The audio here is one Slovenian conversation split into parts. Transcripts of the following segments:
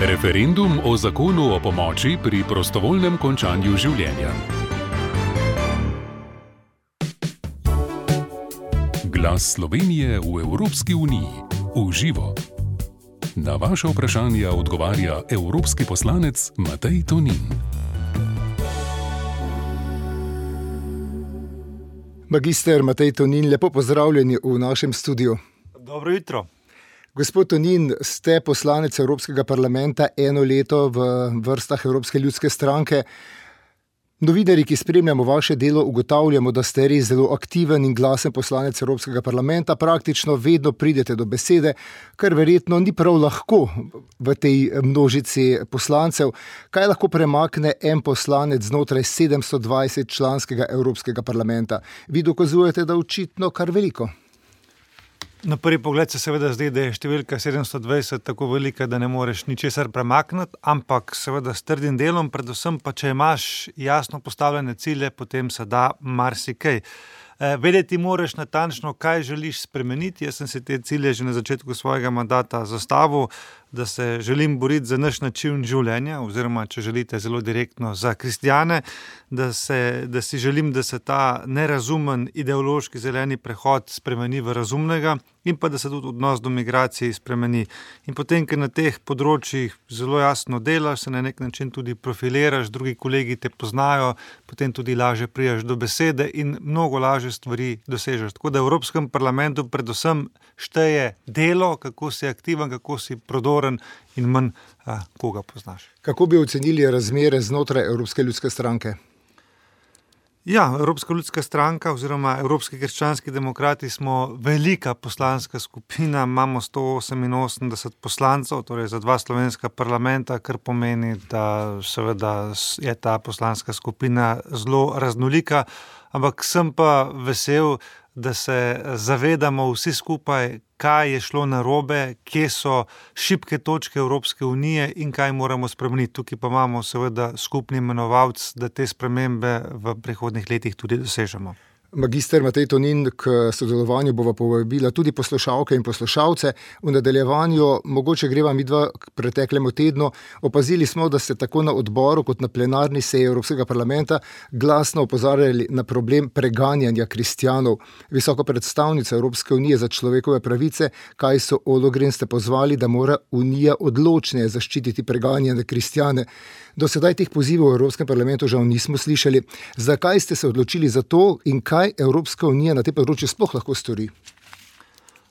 Referendum o zakonu o pomoči pri prostovoljnem končanju življenja. Glas Slovenije v Evropski uniji. V živo. Na vaše vprašanja odgovarja evropski poslanec Matej Tonin. Magister Matej Tonin, lepo pozdravljeni v našem studiu. Dobro jutro. Gospod Tonin, ste poslanec Evropskega parlamenta eno leto v vrstah Evropske ljudske stranke. Novinarji, ki spremljamo vaše delo, ugotavljamo, da ste res zelo aktiven in glasen poslanec Evropskega parlamenta. Praktično vedno pridete do besede, kar verjetno ni prav lahko v tej množici poslancev. Kaj lahko premakne en poslanec znotraj 720 članskega Evropskega parlamenta? Vi dokazujete, da očitno kar veliko. Na prvi pogled se seveda zdi, da je številka 720 tako velika, da ne moreš ničesar premakniti, ampak seveda s trdim delom, predvsem pa če imaš jasno postavljene cilje, potem se da marsikaj. Vedeti moraš natančno, kaj želiš spremeniti. Jaz sem si te cilje že na začetku svojega mandata zastavil, da se želim boriti za naš način življenja, oziroma, če želite zelo direktno, za kristjane, da si želim, da se ta nerazumen ideološki zeleni prehod spremeni v razumnega in pa da se tudi odnos do migracij spremeni. In potem, ker na teh področjih zelo jasno delaš, se na nek način tudi profiliraš, drugi kolegi te poznajo, potem tudi lažje prijaš do besede in mnogo lažje stvari dosežeš. Tako da v Evropskem parlamentu predvsem šteje delo, kako si aktiven, kako si prodoren in manj koga poznaš. Kako bi ocenili razmere znotraj Evropske ljudske stranke? Ja, Evropska ljudska stranka oziroma Evropski krščanski demokrati smo velika poslanska skupina, imamo 188 poslancev, torej za 2 slovenska parlamenta, kar pomeni, da seveda je ta poslanska skupina zelo raznolika, ampak sem pa vesel, da se zavedamo vsi skupaj, kaj je šlo narobe, kje so šibke točke Evropske unije in kaj moramo spremeniti. Tukaj pa imamo seveda skupni imenovalec, da te spremembe v prihodnjih letih tudi dosežemo. Magister Matej Tonin, k sodelovanju bova povabila tudi poslušalke in poslušalce. V nadaljevanju, mogoče greva midva k preteklemu tednu, opazili smo, da ste tako na odboru kot na plenarni seji Evropskega parlamenta glasno opozarjali na problem preganjanja kristjanov. Visoko predstavnica Evropske unije za človekove pravice, Kajso Ollongren, ste pozvali, da mora Unija odločneje zaščititi preganjane kristjane. Do sedaj teh pozivov v Evropskem parlamentu žal nismo slišali. Zakaj ste se odločili za to in kaj Evropska unija na tem področju sploh lahko stori?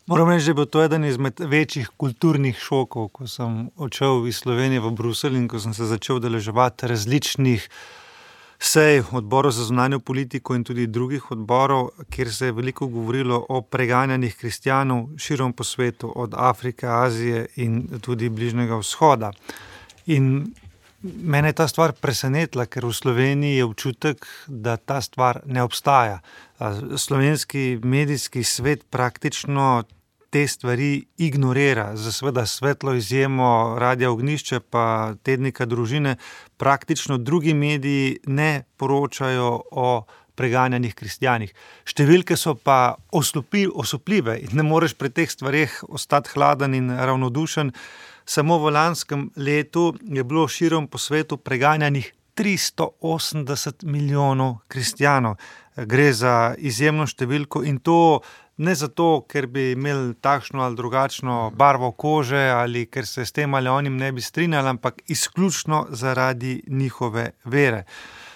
Moram reči, da je bil to eden izmed večjih kulturnih šokov, ko sem odšel iz Slovenije v Bruselj in ko sem se začel udeleževati različnih sej odborov za zunanjo politiko in tudi drugih odborov, kjer se je veliko govorilo o preganjanih kristjanov širom po svetu, od Afrike, Azije in tudi Bližnjega vzhoda. In mene je ta stvar presenetila, ker v Sloveniji je občutek, da ta stvar ne obstaja. Slovenski medijski svet praktično te stvari ignorira. Za seveda svetlo izjemo Radia Ognjišče pa tednika Družine, praktično drugi mediji ne poročajo o preganjanih kristjanih. Številke so pa osupljive in ne moreš pri teh stvareh ostati hladen in ravnodušen. Samo v lanskem letu je bilo širom po svetu preganjanih 380 milijonov kristjanov. Gre za izjemno številko in to ne zato, ker bi imeli takšno ali drugačno barvo kože ali ker se s tem ali onim ne bi strinjali, ampak izključno zaradi njihove vere.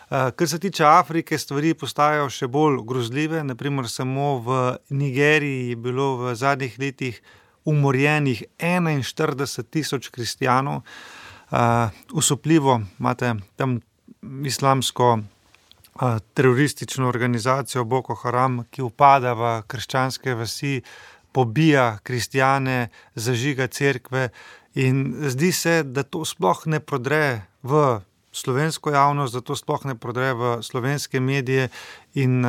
Kar se tiče Afrike, stvari postajajo še bolj grozljive. Naprimer, samo v Nigeriji je bilo v zadnjih letih umorjenih 41 tisoč kristjanov. Usupljivo imate tam islamsko teroristično organizacijo Boko Haram, ki upada v krščanske vasi, pobija kristjane, zažiga cerkve in zdi se, da to sploh ne prodre v slovensko javnost, da to sploh ne prodre v slovenske medije In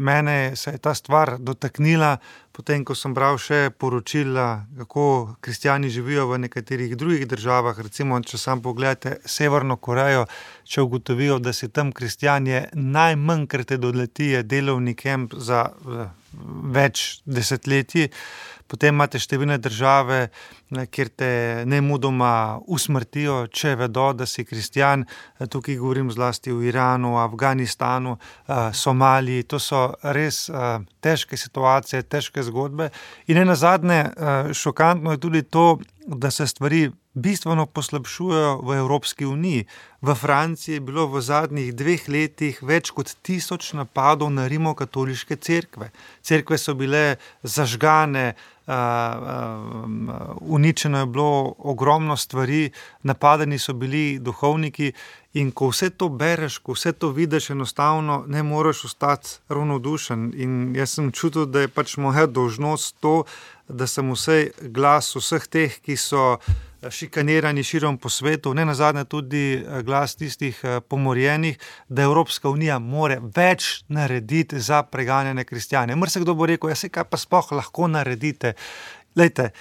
mene se je ta stvar dotaknila, potem ko sem bral še poročila, kako kristjani živijo v nekaterih drugih državah, recimo, če sam pogledate Severno Korejo, če ugotovijo, da si tam kristjan, je najmanjkrat te doleti delovni kemp za več desetletij. Potem imate številne države, kjer te nemudoma usmrtijo, če vedo, da si kristjan. Tukaj govorim zlasti o Iranu, Afganistanu, Somaliji. To so res težke situacije, težke zgodbe. In nenazadnje šokantno je tudi to, da se stvari bistveno poslabšujejo v Evropski uniji. V Franciji je bilo v zadnjih 2 letih več kot 1000 napadov na rimokatoliške cerkve. Cerkve so bile zažgane, uničeno je bilo ogromno stvari, napadeni so bili duhovniki in ko vse to bereš, ko vse to vidiš, enostavno ne moreš ostati ravnodušen. In jaz sem čutil, da je pač moja dolžnost to, da sem vsej glas vseh teh, ki so šikanirani širom po svetu, ne nazadnje tudi glas tistih pomorjenih, da Evropska unija more več narediti za preganjane kristjane. Marsikdo bo rekel, saj kaj pa sploh lahko naredite. Glejte,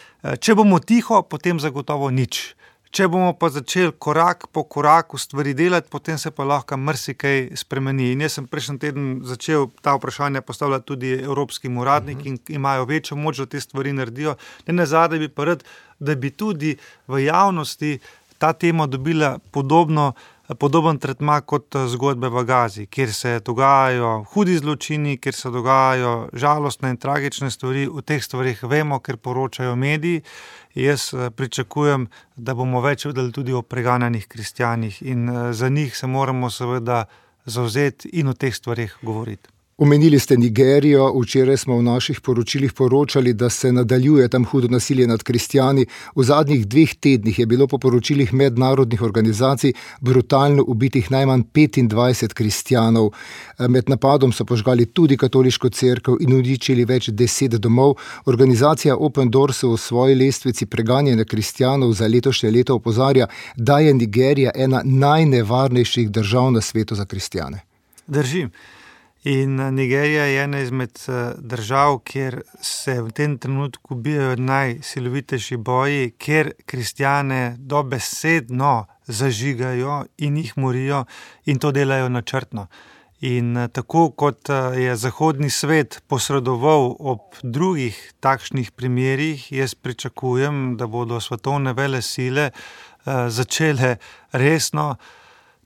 če bomo tiho, potem zagotovo nič. Če bomo pa začeli korak po koraku stvari delati, potem se pa lahko marsikaj spremeni. In jaz sem prejšnji teden začel ta vprašanja postavljati tudi evropskim uradnikom, ki imajo večjo moč, da te stvari naredijo. Ne nazadnje bi pa rad, da bi tudi v javnosti ta tema dobila podoben tretma kot zgodbe v Gazi, kjer se dogajajo hudi zločini, kjer se dogajajo žalostne in tragične stvari. O teh stvarih vemo, ker poročajo mediji. Jaz pričakujem, da bomo več vedeli tudi o preganjanih kristjanih in za njih se moramo seveda zavzeti in o teh stvarih govoriti. Omenili ste Nigerijo, včeraj smo v naših poročilih poročali, da se nadaljuje tam hudo nasilje nad kristjani. V zadnjih 2 tednih je bilo po poročilih mednarodnih organizacij brutalno ubitih najmanj 25 kristjanov. Med napadom so požgali tudi katoliško cerkev in uničili več 10 domov. Organizacija Open Doors v svoji lestvici preganjanja kristjanov za letošnje leto opozarja, da je Nigerija ena najnevarnejših držav na svetu za kristjane. Drži. In Nigerija je ena izmed držav, kjer se v tem trenutku bijajo najsilovitejši boji, kjer kristjane dobesedno zažigajo in jih morijo in to delajo načrtno. In tako kot je zahodni svet posredoval ob drugih takšnih primerih, jaz pričakujem, da bodo svetovne velesile začele resno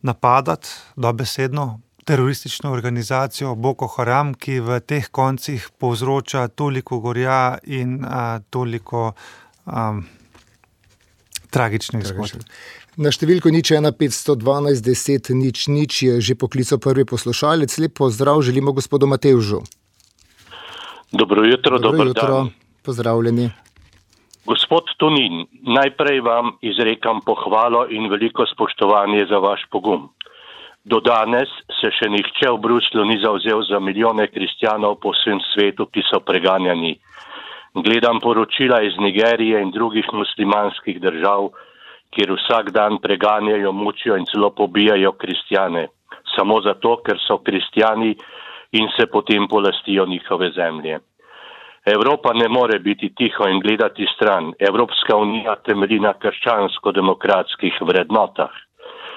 napadati, dobesedno, teroristično organizacijo Boko Haram, ki v teh koncih povzroča toliko gorja in toliko tragičnih zgodb. Na številko 01 512 10 0 je že poklical prvi poslušalec. Lep pozdrav želimo gospodu Matevžu. Dobro jutro, dober dan. Pozdravljeni. Gospod Tonin, najprej vam izrekam pohvalo in veliko spoštovanje za vaš pogum. Do danes se še nihče v Bruslju ni zavzel za milijone kristjanov po vsem svetu, ki so preganjani. Gledam poročila iz Nigerije in drugih muslimanskih držav, kjer vsak dan preganjajo, mučijo in celo pobijajo kristjane. Samo zato, ker so kristjani in se potem polastijo njihove zemlje. Evropa ne more biti tiho in gledati stran. Evropska unija temelji na krščansko-demokratskih vrednotah.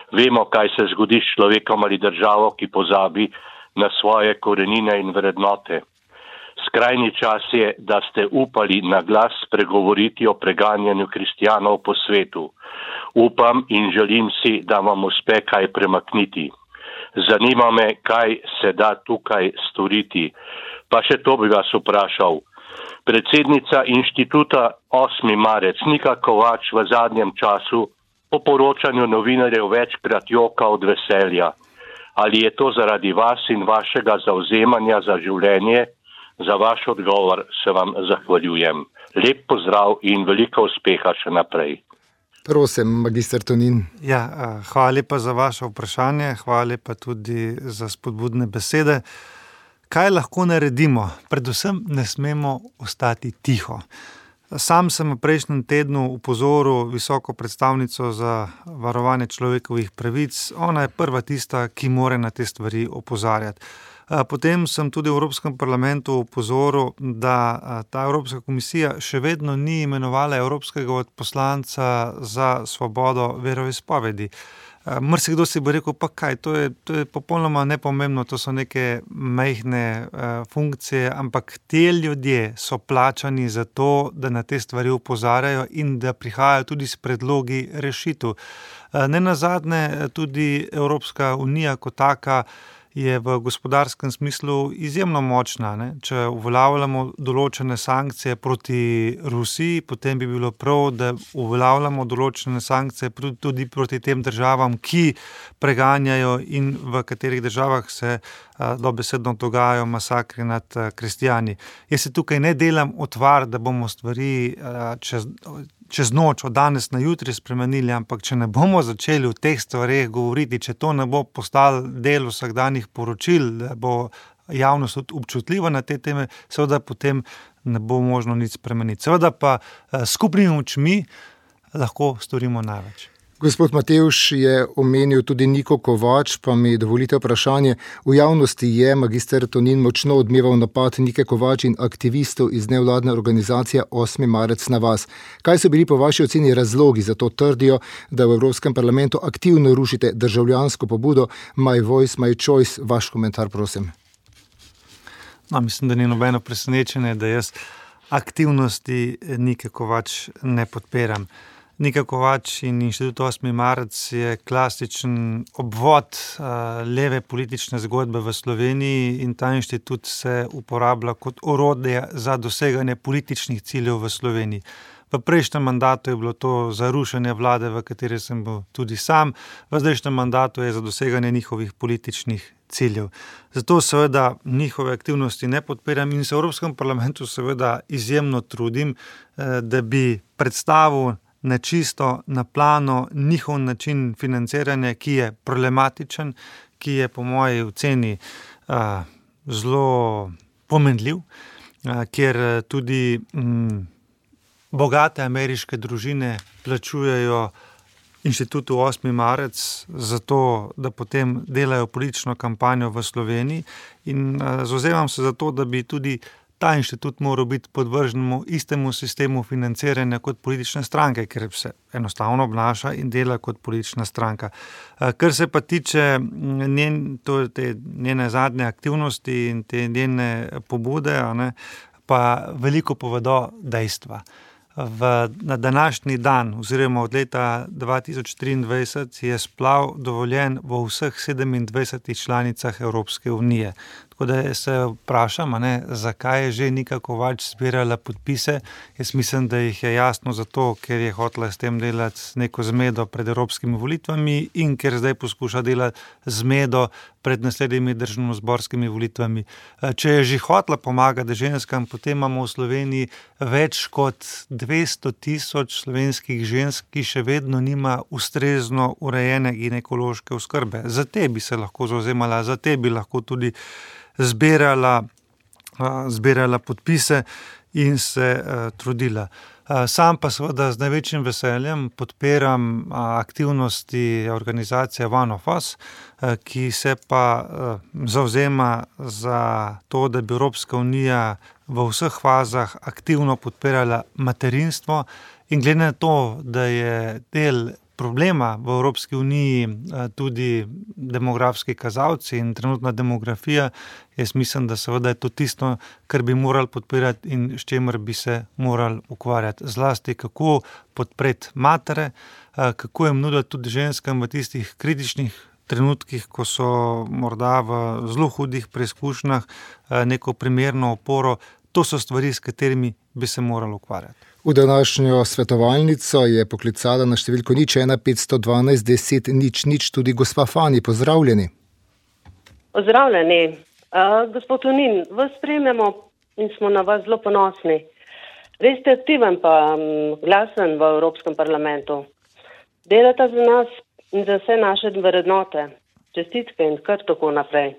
Vemo, kaj se zgodi s človekom ali državo, ki pozabi na svoje korenine in vrednote. Skrajni čas je, da ste upali na glas spregovoriti o preganjanju kristjanov po svetu. Upam in želim si, da vam uspe kaj premakniti. Zanima me, kaj se da tukaj storiti. Pa še to bi vas vprašal. Predsednica inštituta 8. marec Nika Kovač v zadnjem času po poročanju novinarjev večkrat joka od veselja. Ali je to zaradi vas in vašega zavzemanja za življenje? Za vaš odgovor se vam zahvaljujem. Lep pozdrav in veliko uspeha še naprej. Prosim, magister Tonin. Ja, hvala lepa za vaše vprašanje, hvala lepa tudi za spodbudne besede. Kaj lahko naredimo? Predvsem ne smemo ostati tiho. Sam sem v prejšnjem tednu upozoril visoko predstavnico za varovanje človekovih pravic. Ona je prva tista, ki mora na te stvari opozarjati. Potem sem tudi v Evropskem parlamentu opozoril, da ta Evropska komisija še vedno ni imenovala evropskega odposlanca za svobodo veroizpovedi. Marsikdo si bo rekel, pa kaj, to je popolnoma nepomembno, to so neke majhne funkcije, ampak te ljudje so plačani za to, da na te stvari opozarjajo in da prihajajo tudi s predlogi rešitev. Nenazadnje tudi Evropska unija kot taka je v gospodarskem smislu izjemno močna. Ne? Če uveljavljamo določene sankcije proti Rusiji, potem bi bilo prav, da uveljavljamo določene sankcije tudi proti tem državam, ki preganjajo in v katerih državah se dobesedno dogajajo masakri nad kristjani. Jaz se tukaj ne delam utvar, da bomo stvari čez noč, od danes na jutri spremenili, ampak če ne bomo začeli v teh stvareh govoriti, če to ne bo postalo del vsakdanjih poročil, da bo javnost občutljiva na te teme, seveda potem ne bo možno nič spremeniti. Seveda pa skupnimi močmi lahko storimo največ. Gospod Matevž je omenil tudi Niko Kovač, pa mi dovolite vprašanje. V javnosti je magister Tonin močno odmeval napad Nike Kovač in aktivistov iz nevladne organizacije 8. marec na vas. Kaj so bili po vaši oceni razlogi za to? Trdijo, da v Evropskem parlamentu aktivno rušite državljansko pobudo My Voice, My Choice. Vaš komentar, prosim. No, mislim, da ni nobeno presenečenje, da jaz aktivnosti Nike Kovač ne podpiram. Nika Kovač in Inštitut 8. marec je klasičen obvod leve politične zgodbe v Sloveniji in ta inštitut se uporablja kot orodje za doseganje političnih ciljev v Sloveniji. V prejšnjem mandatu je bilo to za rušenje vlade, v kateri sem bil tudi sam, v zdajšnjem mandatu je za doseganje njihovih političnih ciljev. Zato seveda njihove aktivnosti ne podpiram in se v Evropskem parlamentu seveda izjemno trudim, da bi predstavil nečisto, na plano njihov način financiranja, ki je problematičen, ki je po moji oceni zelo pomenljiv, kjer tudi bogate ameriške družine plačujejo Inštitutu 8. marec zato, da potem delajo politično kampanjo v Sloveniji in zavzemam se za to, da bi tudi ta inštitut moral biti podvrženemu istemu sistemu financiranja kot politične stranke, ker se enostavno obnaša in dela kot politična stranka. Kar se pa tiče te njene zadnje aktivnosti in te njene pobude, pa veliko povedo dejstva. Na današnji dan, oziroma od leta 2023, je splav dovoljen v vseh 27 članicah Evropske unije. Tako da se vprašam, zakaj je že Nika Kovač zbirala podpise. Jaz mislim, da jih je jasno zato, ker je hotela s tem delati neko zmedo pred evropskimi volitvami in ker zdaj poskuša delati zmedo pred naslednjimi državnozborskimi volitvami. Če je že hotela pomagati ženskam, potem imamo v Sloveniji več kot 200 000 slovenskih žensk, ki še vedno nima ustrezno urejene ginekološke oskrbe. Za te bi se lahko zavzemala, za te bi lahko tudi zbirala podpise in se trudila. Sam pa seveda z največjim veseljem podpiram aktivnosti organizacije One of Us, ki se pa zavzema za to, da bi Evropska unija v vseh fazah aktivno podpirala materinstvo in glede na to, da je del problema v Evropski uniji tudi demografski kazalci in trenutna demografija, jaz mislim, da seveda je to tisto, kar bi morali podpirati in s čemer bi se morali ukvarjati. Zlasti kako podpreti matere, kako jim nuditi tudi ženskam v tistih kritičnih trenutkih, ko so morda v zelo hudih preizkušnjah neko primerno oporo. To so stvari, s katerimi bi se morali ukvarjati. V današnjo svetovalnico je poklicala na številko 01 512 10 00 tudi gospa Fani. Pozdravljeni. Pozdravljeni. Gospod Tonin, vas spremljamo in smo na vas zelo ponosni. Res ste aktiven pa glasen v Evropskem parlamentu. Delate za nas in za vse naše vrednote. Čestitke in kar tako naprej.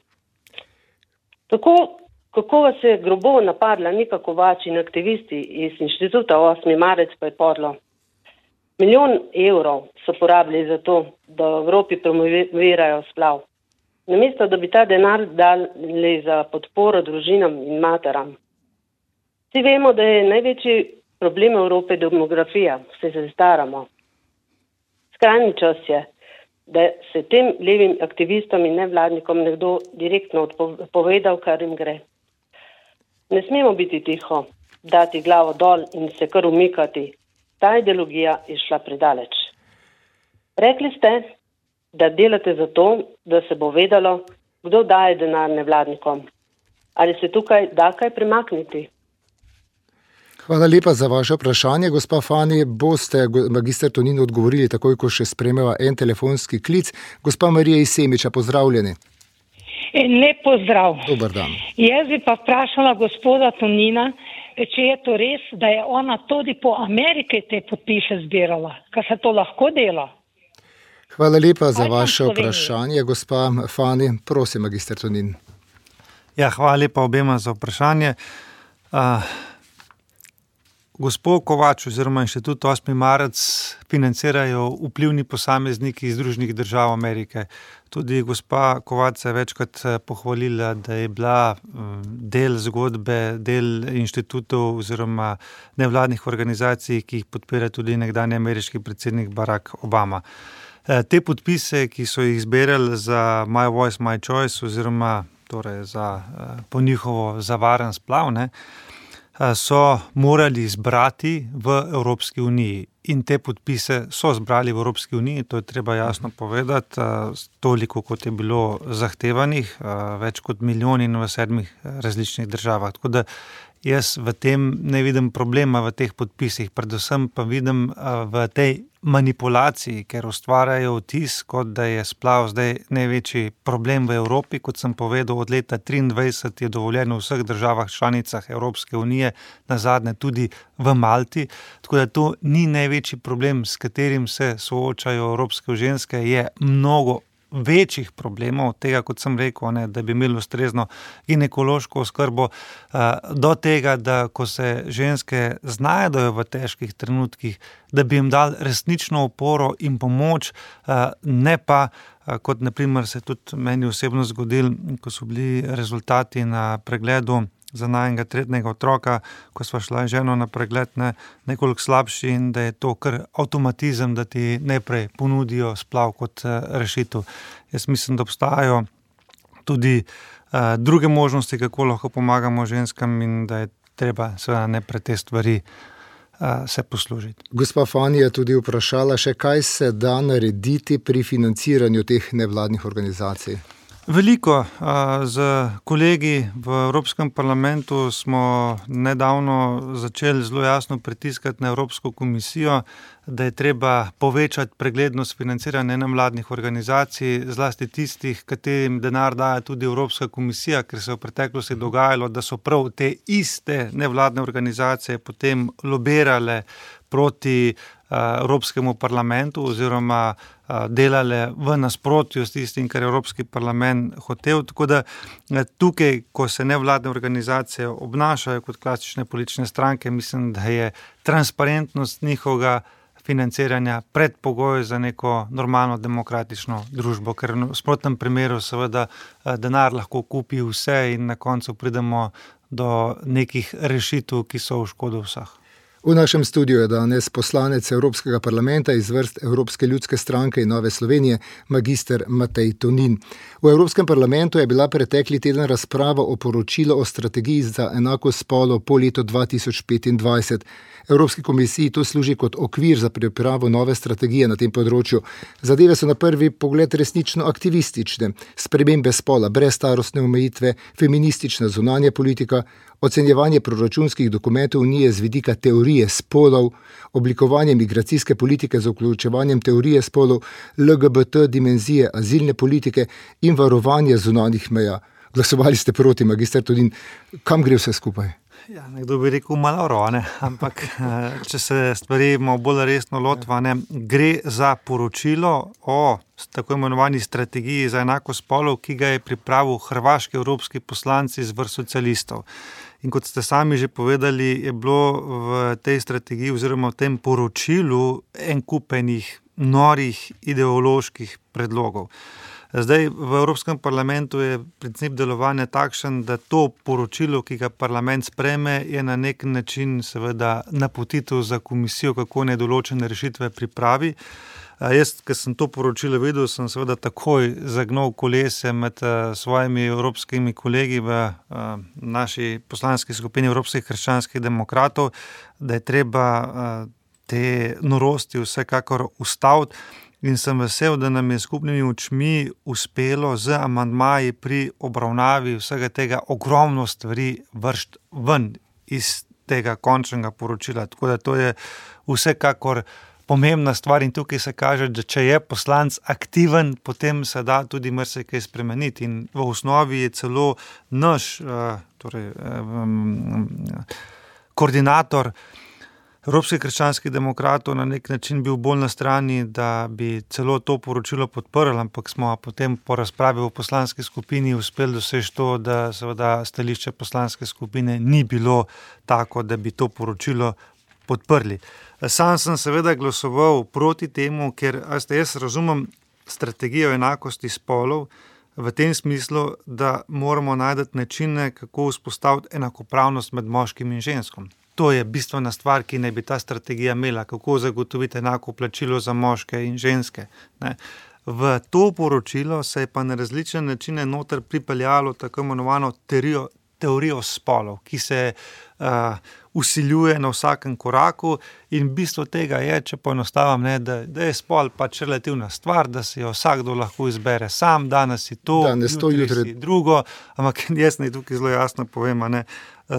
Kako vas je grobo napadla Nika Kovač in aktivisti iz Inštituta 8. marec, pa je podlo. 1 milijon evrov so porabili za to, da v Evropi promovirajo splav. namesto da bi ta denar dali za podporo družinam in materam. Vsi vemo, da je največji problem Evrope demografija, vse se staramo. Skrajni čas je, da se tem levim aktivistom in nevladnikom nekdo direktno povedal, kar jim gre. Ne smemo biti tiho, dati glavo dol in se kar umikati. Ta ideologija je šla predaleč. Rekli ste, da delate za to, da se bo vedelo, kdo daje denar nevladnikom. Ali se tukaj da kaj premakniti? Hvala lepa za vaše vprašanje. Gospa Fani, boste magister Tonin odgovorili takoj, ko še spremeva en telefonski klic. Gospa Marija iz Semiča, pozdravljeni. Lep pozdrav. Dober dan. Jaz bi pa vprašala gospoda Tonina, če je to res, da je ona tudi po Ameriki te podpise zbirala, ker se to lahko dela. Hvala lepa za vaše vprašanje. Gospa Fani, prosim, magister Tonin. Ja, hvala lepa obema za vprašanje. Gospod Kovač oziroma Inštitut 8. marec financirajo vplivni posamezniki iz Združenih držav Amerike. Tudi gospa Kovač se je večkrat pohvalila, da je bila del zgodbe, del inštitutov oziroma nevladnih organizacij, ki jih podpira tudi nekdanji ameriški predsednik Barack Obama. Te podpise, ki so jih zbirali za My Voice, My Choice oziroma torej po njihovo za varen splav, so morali zbrati v Evropski uniji in te podpise so zbrali v Evropski uniji, to je treba jasno povedati, toliko kot je bilo zahtevanih, več kot milijon in v 7 različnih državah. Tako da jaz v tem ne vidim problema v teh podpisih, predvsem pa vidim v tej manipulaciji, ker ustvarjajo vtis, kot da je splav zdaj največji problem v Evropi. Kot sem povedal, od leta 2023 je dovoljeno v vseh državah članicah Evropske unije, nazadnje tudi v Malti. Tako da to ni največji problem, s katerim se soočajo evropske ženske, je mnogo večjih problemov, tega, kot sem rekel, da bi imeli ustrezno ginekološko oskrbo, do tega, da ko se ženske znajdejo v težkih trenutkih, da bi jim dali resnično oporo in pomoč, ne pa, kot na primer se tudi meni osebno zgodil, ko so bili rezultati na pregledu za najnega 3. otroka, ko sva šla ženo na pregled, nekoliko slabši in da je to kar avtomatizem, da ti najprej ponudijo splav kot rešitev. Jaz mislim, da obstajajo tudi druge možnosti, kako lahko pomagamo ženskam in da je treba seveda najprej te stvari se poslužiti. Gospa Fani je tudi vprašala še, kaj se da narediti pri financiranju teh nevladnih organizacij. Veliko. Z kolegi v Evropskem parlamentu smo nedavno začeli zelo jasno pritiskati na Evropsko komisijo, da je treba povečati preglednost financiranja nevladnih organizacij, zlasti tistih, katerim denar daje tudi Evropska komisija, ker se je v preteklosti dogajalo, da so prav te iste nevladne organizacije potem lobirale proti Evropskemu parlamentu oziroma delale v nasprotju s tistim, kar je Evropski parlament hotel. Tako da tukaj, ko se nevladne organizacije obnašajo kot klasične politične stranke, mislim, da je transparentnost njihovega financiranja predpogoj za neko normalno demokratično družbo, ker v nasprotnem primeru seveda denar lahko kupi vse in na koncu pridemo do nekih rešitev, ki so v škodo vseh. V našem studiu je danes poslanec Evropskega parlamenta iz vrst Evropske ljudske stranke in Nove Slovenije, magister Matej Tonin. V Evropskem parlamentu je bila pretekli teden razprava o poročilu o strategiji za enakost spolov po letu 2025. Evropski komisiji to služi kot okvir za pripravo nove strategije na tem področju. Zadeve so na prvi pogled resnično aktivistične. Spremembe spola brez starostne omejitve, feministična zunanja politika, ocenjevanje proračunskih dokumentov Unije z vidika teorije spolov, oblikovanje migracijske politike z vključevanjem teorije spolov, LGBT dimenzije azilne politike in varovanje zunanjih meja. Glasovali ste proti, magister Tonin. Kam gre vse skupaj? Ja, nekdo bi rekel malo, ampak če se stvari bolj resno lotva, gre za poročilo o tako imenovani strategiji za enakost spolov, ki ga je pripravil hrvaški evropski poslanci iz vrst socialistov. In kot ste sami že povedali, je bilo v tej strategiji oziroma v tem poročilu en kup enih norih ideoloških predlogov. Zdaj, v Evropskem parlamentu je princip delovanja takšen, da to poročilo, ki ga parlament sprejme, je na nek način seveda napotitev za komisijo, kako naj določene rešitve pripravi. Jaz, ko sem to poročilo videl, sem seveda takoj zagnal kolese med svojimi evropskimi kolegi v naši poslanski skupini Evropskih krščanskih demokratov, da je treba te norosti vsekakor ustaviti. In sem vesel, da nam je skupnimi očmi uspelo z amandmaji pri obravnavi vsega tega ogromno stvari vršiti ven iz tega končnega poročila. Tako da to je vsekakor pomembna stvar in tukaj se kaže, da če je poslanec aktiven, potem se da tudi marsikaj spremeniti. In v osnovi je celo naš koordinator Evropskih krščanskih demokratov na nek način bil bolj na strani, da bi celo to poročilo podprli, ampak smo potem po razpravi v poslanski skupini uspeli doseči to, da seveda stališče poslanske skupine ni bilo tako, da bi to poročilo podprli. Sam sem seveda glasoval proti temu, ker jaz razumem strategijo enakosti spolov v tem smislu, da moramo najti načine, kako vzpostaviti enakopravnost med moškim in ženskom. To je bistvena stvar, ki naj bi ta strategija imela, kako zagotoviti enako plačilo za moške in ženske. Ne. V to poročilo se je pa na različne načine noter pripeljalo tako imenovano teorijo spolov, ki se vsiljuje na vsakem koraku in bistvo tega je, če poenostavim, da je spol pač relativna stvar, da si jo vsakdo lahko izbere sam, danes si to, jutri si drugo, ampak jaz naj tukaj zelo jasno povem,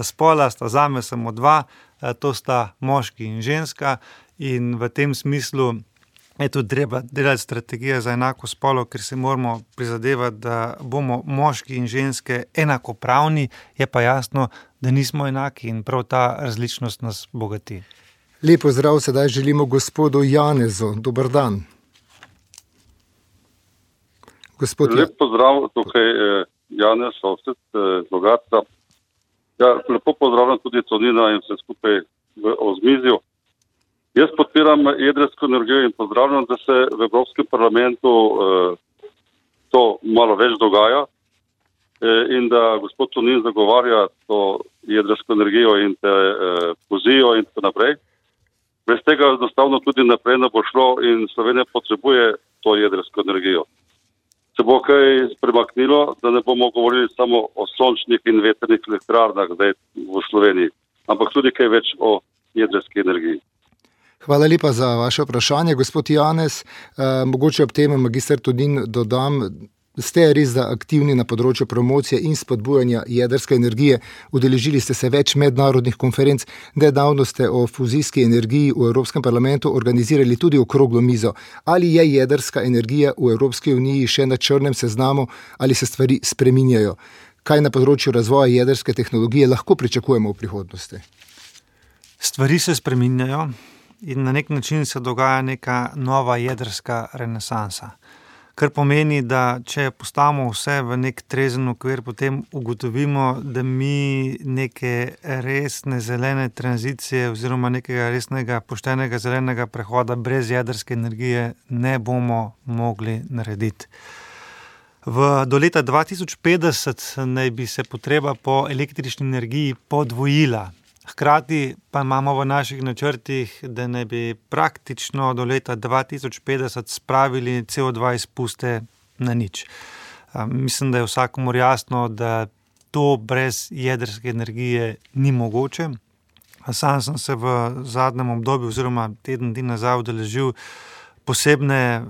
spola sta zame samo dva, to sta moški in ženska in v tem smislu je tudi treba delati strategije za enako spolo, ker se moramo prizadevati, da bomo moški in ženske enakopravni, je pa jasno, da nismo enaki in prav ta različnost nas bogati. Lep pozdrav sedaj želimo gospodu Janezu. Dober dan. Lep pozdrav, tukaj Janez Ovsec, Logatca. Ja, lepo pozdravljam tudi Tonina in vse skupaj v ozmizju. Jaz podpiram jedrsko energijo in pozdravljam, da se v Evropskem parlamentu to malo več dogaja in da gospod Tonin zagovarja to jedrsko energijo in te fuzijo in tako naprej. Brez tega enostavno tudi naprej ne bo šlo in Slovenija potrebuje to jedrsko energijo. Se bo kaj premaknilo, da ne bomo govorili samo o sončnih in vetrnih elektrarnah zdaj v Sloveniji, ampak tudi kaj več o jedrski energiji. Hvala lepa za vaše vprašanje, gospod Janez. Mogoče ob tem magister Tonin dodam, ste res da aktivni na področju promocije in spodbujanja jedrske energije. Udeležili ste se več mednarodnih konferenc, nedavno ste o fuzijski energiji v Evropskem parlamentu organizirali tudi okroglo mizo. Ali je jedrska energija v Evropski uniji še na črnem seznamu ali se stvari spreminjajo? Kaj na področju razvoja jedrske tehnologije lahko pričakujemo v prihodnosti? Stvari se spreminjajo in na nek način se dogaja neka nova jedrska renesansa. Kar pomeni, da če postavimo vse v nek trezen okvir, potem ugotovimo, da mi neke resne zelene tranzicije oziroma nekega resnega poštenega zelenega prehoda brez jedrske energije ne bomo mogli narediti. Do leta 2050 naj bi se potreba po električni energiji podvojila. Hkrati pa imamo v naših načrtih, da naj bi praktično do leta 2050 spravili CO2 izpuste na nič. Mislim, da je vsakomur jasno, da to brez jedrske energije ni mogoče. Sam sem se v zadnjem obdobju oziroma teden dni nazaj udeležil posebne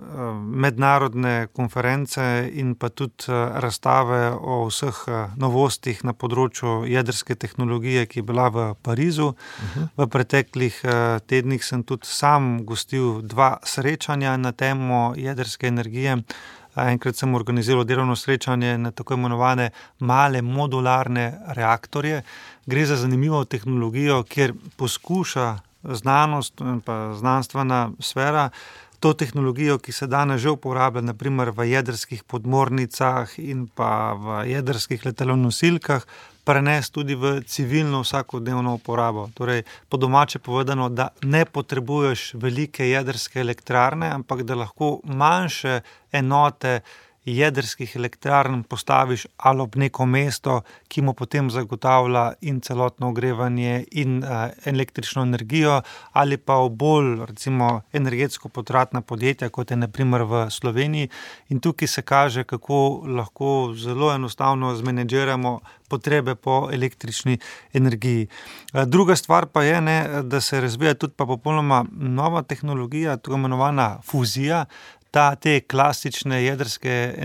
mednarodne konference in pa tudi razstave o vseh novostih na področju jedrske tehnologije, ki je bila v Parizu. V preteklih tednih sem tudi sam gostil 2 srečanja na temo jedrske energije. Enkrat sem organiziral delovno srečanje na tako imenovane male modularne reaktorje. Gre za zanimivo tehnologijo, kjer poskuša znanost in pa znanstvena sfera to tehnologijo, ki se danes že uporablja, naprimer v jedrskih podmornicah in pa v jedrskih letalonosilkah, prenesti tudi v civilno vsakodnevno uporabo. Torej, po domače povedano, da ne potrebuješ velike jedrske elektrarne, ampak da lahko manjše enote jedrskih elektrarn postaviš ali ob neko mesto, ki mu potem zagotavlja in celotno ogrevanje in električno energijo, ali pa v bolj, recimo, energetsko potratna podjetja, kot je na primer v Sloveniji. In tukaj se kaže, kako lahko zelo enostavno zmenedžiramo potrebe po električni energiji. Druga stvar pa je, da se razvija tudi pa popolnoma nova tehnologija, tako imenovana fuzija. Te klasične jedrske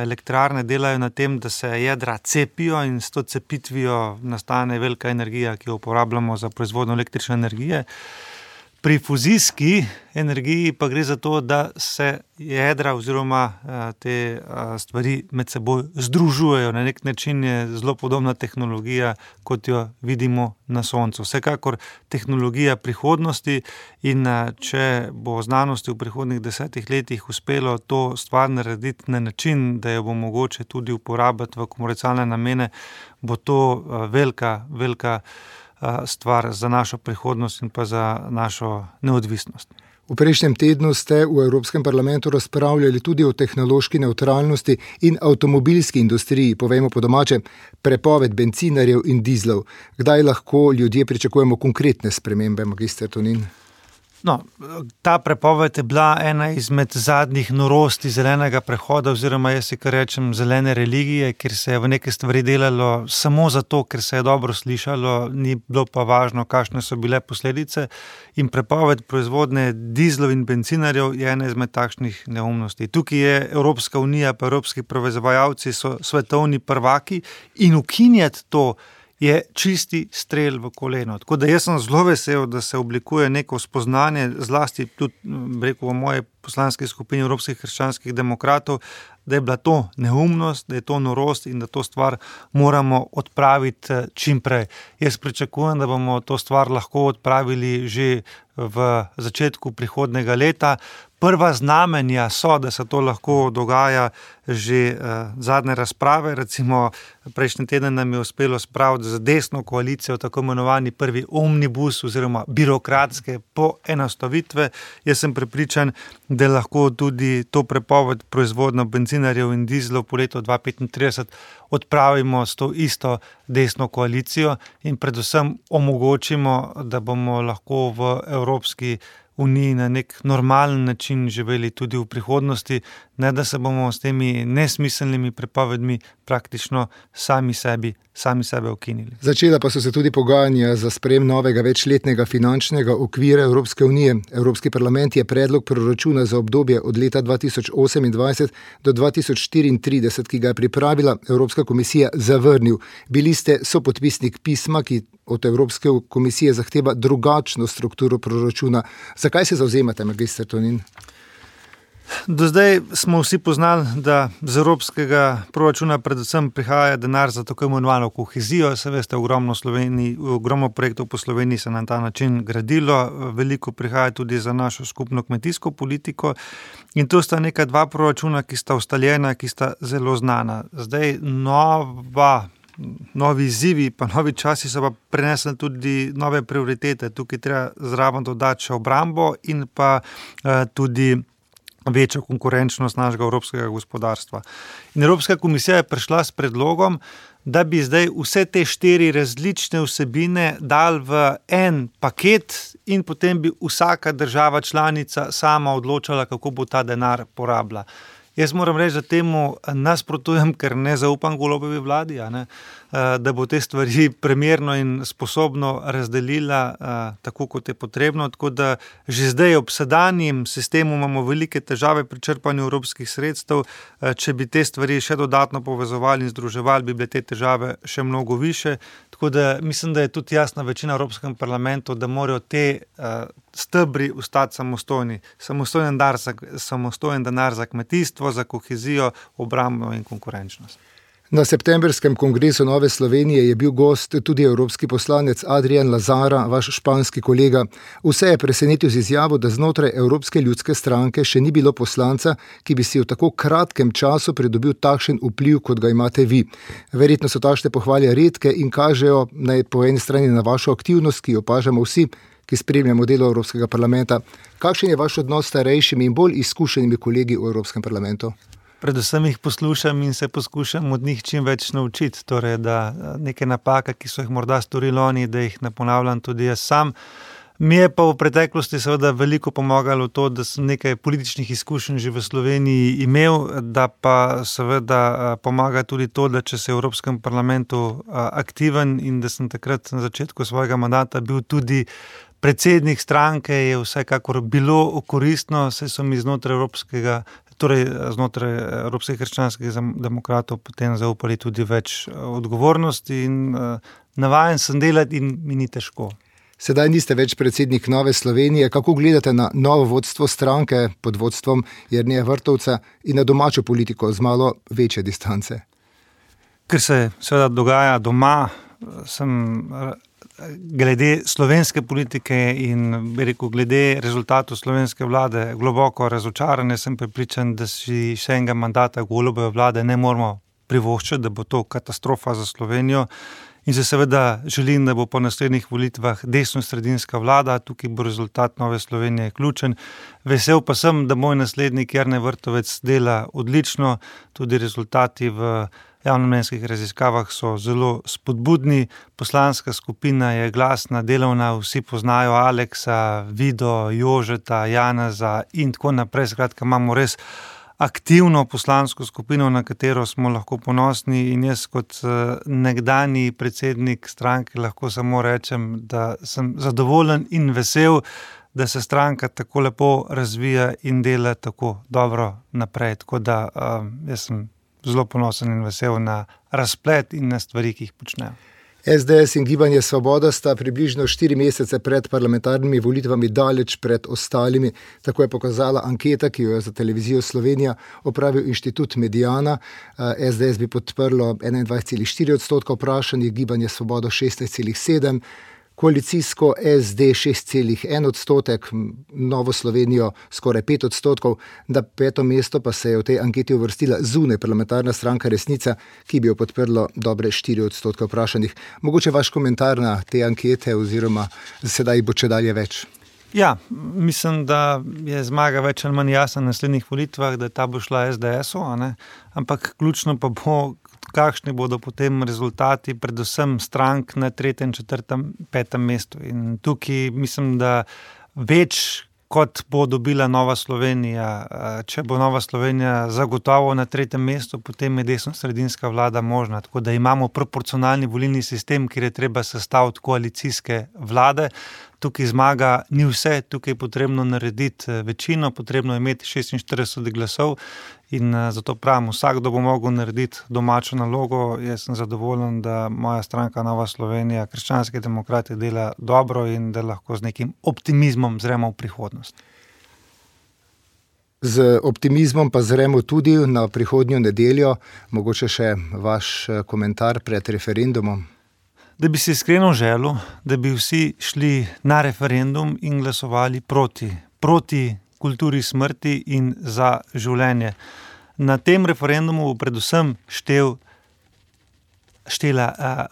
elektrarne delajo na tem, da se jedra cepijo in s to cepitvijo nastane velika energija, ki jo uporabljamo za proizvodnjo električne energije. Pri fuzijski energiji pa gre za to, da se jedra oziroma te stvari med seboj združujejo. Na nek način je zelo podobna tehnologija, kot jo vidimo na Soncu. Vsekakor tehnologija prihodnosti in če bo znanosti v prihodnih 10 letih uspelo to stvar narediti na način, da jo bo mogoče tudi uporabiti v komercialne namene, bo to velika stvar za našo prihodnost in pa za našo neodvisnost. V prejšnjem tednu ste v Evropskem parlamentu razpravljali tudi o tehnološki nevtralnosti in avtomobilski industriji, povejmo po domače, prepoved bencinarjev in dizlov. Kdaj lahko ljudje pričakujemo konkretne spremembe, magister Tonin? No, ta prepoved je bila ena izmed zadnjih norosti zelenega prehoda oziroma jaz si kar rečem zelene religije, kjer se je v neke stvari delalo samo zato, ker se je dobro slišalo, ni bilo pa važno, kakšne so bile posledice. In prepoved proizvodnje dizlov in bencinarjev je ena izmed takšnih neumnosti. Tukaj je Evropska unija pa evropski proizvajalci so svetovni prvaki in ukinjati to je čisti strel v koleno. Tako da jaz sem zelo vesel, da se oblikuje neko spoznanje, zlasti tudi, rekel, v moje poslanski skupini Evropskih krščanskih demokratov, da je bila to neumnost, da je to norost in da to stvar moramo odpraviti čim prej. Jaz pričakujem, da bomo to stvar lahko odpravili že v začetku prihodnega leta. Prva znamenja so, da se to lahko dogaja že zadnje razprave. Recimo, prejšnji teden nam je uspelo spraviti z desno koalicijo tako imenovani prvi omnibus oziroma birokratske poenostavitve. Jaz sem prepričan, da lahko tudi to prepoved proizvodnjo bencinarjev in dizlov po letu 2035 odpravimo s to isto desno koalicijo in predvsem omogočimo, da bomo lahko v Evropski uniji na nek normalen način živeli tudi v prihodnosti, ne da se bomo s temi nesmiselnimi prepovedmi praktično sami sebe ukinili. Začela pa so se tudi pogajanja za sprejem novega večletnega finančnega okvira Evropske unije. Evropski parlament je predlog proračuna za obdobje od leta 2028 do 2034, ki ga je pripravila Evropska komisija, zavrnil. Bili ste sopodpisnik pisma, ki od Evropske komisije zahteva drugačno strukturo proračuna. Zakaj se zavzemate, magister Tonin? Do zdaj smo vsi poznali, da z evropskega proračuna predvsem prihaja denar za tako imenovano kohezijo. Se veste, ogromno projektov po Sloveniji se na ta način gradilo, veliko prihaja tudi za našo skupno kmetijsko politiko in to sta neka dva proračuna, ki sta ustaljena, ki sta zelo znana. Zdaj novi izzivi pa novi časi so pa prenesli tudi nove prioritete. Tukaj treba zraven dodati še obrambo in pa tudi večjo konkurenčnost našega evropskega gospodarstva. In Evropska komisija je prišla s predlogom, da bi zdaj vse te 4 različne vsebine dali v en paket in potem bi vsaka država članica sama odločala, kako bo ta denar porabila. Jaz moram reči, da temu nasprotujem, ker ne zaupam Golobovi vladi, da bo te stvari primerno in sposobno razdelila tako, kot je potrebno. Tako da že zdaj ob sedanjem sistemu imamo velike težave pri črpanju evropskih sredstev. Če bi te stvari še dodatno povezovali in združevali, bi bile te težave še mnogo više. Tako da mislim, da je tudi jasna večina v Evropskem parlamentu, da morajo te stebri ostati samostojni. Samostojen denar za kmetijstvo, za kohezijo, obrambo in konkurenčnost. Na septembrskem kongresu Nove Slovenije je bil gost tudi evropski poslanec Adrian Lazara, vaš španski kolega. Vse je presenetil z izjavo, da znotraj Evropske ljudske stranke še ni bilo poslanca, ki bi si v tako kratkem času pridobil takšen vpliv, kot ga imate vi. Verjetno so takšne pohvale redke in kažejo po eni strani na vašo aktivnost, ki jo opažamo vsi, ki spremljamo delo Evropskega parlamenta. Kakšen je vaš odnos s starejšimi in bolj izkušenimi kolegi v Evropskem parlamentu? predvsem jih poslušam in se poskušam od njih čim več naučiti. Torej, da neke napake, ki so jih morda storili oni, da jih ne ponavljam tudi jaz sam. Mi je pa v preteklosti seveda veliko pomagalo to, da sem nekaj političnih izkušenj že v Sloveniji imel, da pa seveda pomaga tudi to, da če se v Evropskem parlamentu aktiven in da sem takrat na začetku svojega mandata bil tudi predsednik stranke, je vsekakor bilo koristno, saj so mi znotraj Evropskih krščanskih demokratov potem zaupali tudi več odgovornosti in navajen sem delati in mi ni težko. Sedaj niste več predsednik Nove Slovenije. Kako gledate na novo vodstvo stranke pod vodstvom Jerneja Vrtovca in na domačo politiko z malo večje distance? Ker se seveda dogaja doma, sem glede slovenske politike in glede rezultatov slovenske vlade globoko razočaran. Sem prepričan, da si še enega mandata Golobove vlade ne moramo privoščiti, da bo to katastrofa za Slovenijo. In se seveda želim, da bo po naslednjih volitvah desno-sredinska vlada, tukaj bo rezultat Nove Slovenije ključen. Vesel pa sem, da moj naslednik Jernej Vrtovec dela odlično, tudi rezultati v javnomnenjskih raziskavah so zelo spodbudni, poslanska skupina je glasna, delovna, vsi poznajo Aleksa, Vido, Jožeta, Janeza in tako naprej. Skratka, imamo res aktivno poslansko skupino, na katero smo lahko ponosni in jaz kot nekdanji predsednik stranke lahko samo rečem, da sem zadovoljen in vesel, da se stranka tako lepo razvija in dela tako dobro naprej. Tako da jaz sem zelo ponosen in vesel na razplet in na stvari, ki jih počnejo. SDS in Gibanje Svoboda sta približno 4 mesece pred parlamentarnimi volitvami daleč pred ostalimi. Tako je pokazala anketa, ki jo je za televizijo Slovenija opravil Inštitut Mediana. SDS bi podprlo 21,4% vprašanih, Gibanje Svoboda 16,7%, koalicijsko SD 6,1%, Novo Slovenijo skoraj 5%, na 5. mesto pa se je v tej anketi uvrstila zunaj parlamentarna stranka Resnica, ki bi jo podprlo dobre 4% vprašanih. Mogoče vaš komentar na te ankete oziroma sedaj bo čedalje več? Ja, mislim, da je zmaga več ali manj jasna na naslednjih volitvah, da ta bo šla SDS-u, ampak ključno pa bo, kakšni bodo potem rezultati, predvsem strank na 3., 4., 5. mestu. In tukaj mislim, da več kot bo dobila Nova Slovenija. Če bo Nova Slovenija zagotovo na 3. mestu, potem je desno-sredinska vlada možna. Tako da imamo proporcionalni volilni sistem, kjer je treba sestaviti koalicijske vlade. Tukaj zmaga ni vse, tukaj je potrebno narediti večino, potrebno je imeti 46 glasov in zato pravim, vsakdo bo mogel narediti domačo nalogo. Jaz sem zadovoljen, da moja stranka Nova Slovenija, krščanski demokrati dela dobro in da lahko z nekim optimizmom zremo v prihodnost. Z optimizmom pa zremo tudi na prihodnjo nedeljo. Mogoče še vaš komentar pred referendumom. Da bi si iskreno želel, da bi vsi šli na referendum in glasovali proti kulturi smrti in za življenje. Na tem referendumu bo predvsem štela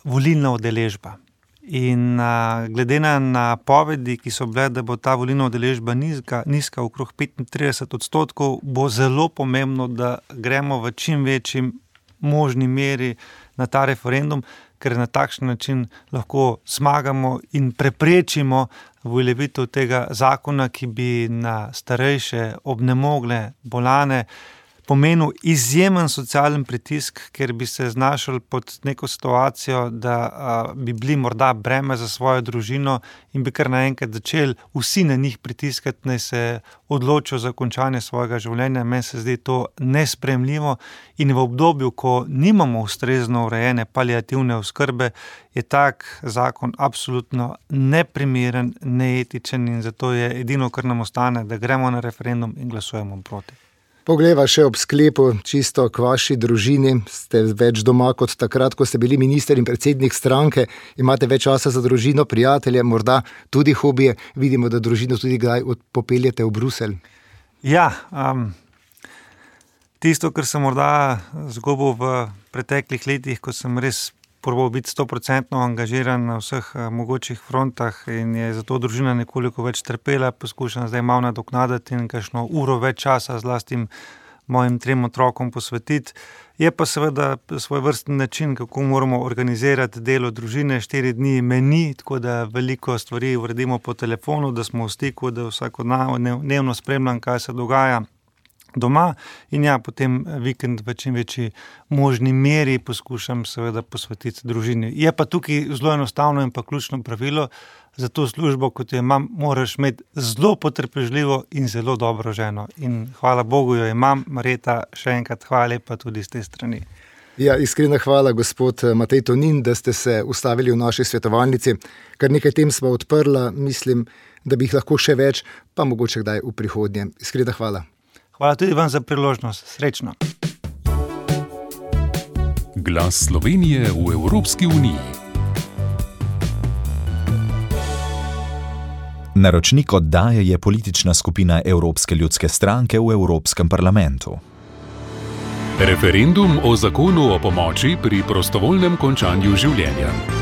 volilna udeležba. In glede na napovedi, ki so bile, da bo ta volilna udeležba nizka okrog 35%, bo zelo pomembno, da gremo v čim večji možni meri na ta referendum, ker na takšen način lahko zmagamo in preprečimo uveljavitev tega zakona, ki bi na starejše, obnemogle, bolane pomenil izjemen socialen pritisk, ker bi se znašli pod neko situacijo, da bi bili morda breme za svojo družino in bi kar naenkrat začeli vsi na njih pritiskati, naj se odločijo za končanje svojega življenja. Meni se zdi to nesprejemljivo in v obdobju, ko nimamo ustrezno urejene paliativne oskrbe, je tak zakon absolutno neprimeren, neetičen in zato je edino, kar nam ostane, da gremo na referendum in glasujemo proti. Poglejva še ob sklepu, čisto k vaši družini. Ste več doma kot takrat, ko ste bili minister in predsednik stranke. Imate več časa za družino, prijatelje, morda tudi hobije. Vidimo, da družino tudi kdaj popeljete v Bruselj. Ja, tisto, kar sem morda zgubil v preteklih letih, ko sem res probal biti 100% angažiran na vseh mogočih frontah in je zato družina nekoliko več trpela, poskušam zdaj malo nadoknaditi in kakšno uro več časa z lastnim mojim 3 otrokom posvetiti. Je pa seveda svoj vrsten način, kako moramo organizirati delo družine. 4 dni meni, tako da veliko stvari uredimo po telefonu, da smo v stiku, da vsakodnevno spremljam, kaj se dogaja doma in potem vikend v čim večji možni meri poskušam seveda posvetiti družini. Je pa tukaj zelo enostavno in pa ključno pravilo, za to službo, kot jo imam, moraš imeti zelo potrpežljivo in zelo dobro ženo. In hvala Bogu jo imam. Marjeta, še enkrat hvala lepa tudi z te strani. Ja, iskrena hvala, gospod Matej Tonin, da ste se ustavili v naši svetovalnici. Kar nekaj tem smo odprla, mislim, da bi jih lahko še več, pa mogoče kdaj v prihodnje. Iskrena hvala. Hvala tudi vam za priložnost. Srečno. Glas Slovenije v Evropski uniji. Naročnik oddaje je politična skupina Evropske ljudske stranke v Evropskem parlamentu. Referendum o zakonu o pomoči pri prostovoljnem končanju življenja.